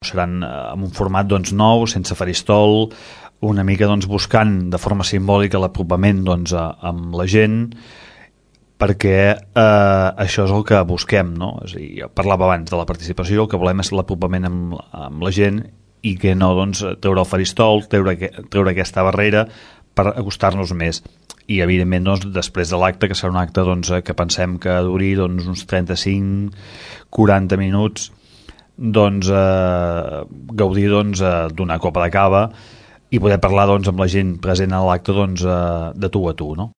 seran en un format doncs, nou, sense faristol, una mica doncs, buscant de forma simbòlica l'apropament doncs, amb la gent, perquè això és el que busquem, no? És a dir, jo parlava abans de la participació, el que volem és l'apropament amb la gent i que no doncs, treure el faristol, treure aquesta barrera per acostar-nos més. I evidentment doncs, després de l'acte, que serà un acte doncs, que pensem que duri doncs, uns 35-40 minuts, doncs, gaudir doncs, d'una copa de cava i poder parlar doncs, amb la gent present a l'acte doncs, de tu a tu, no?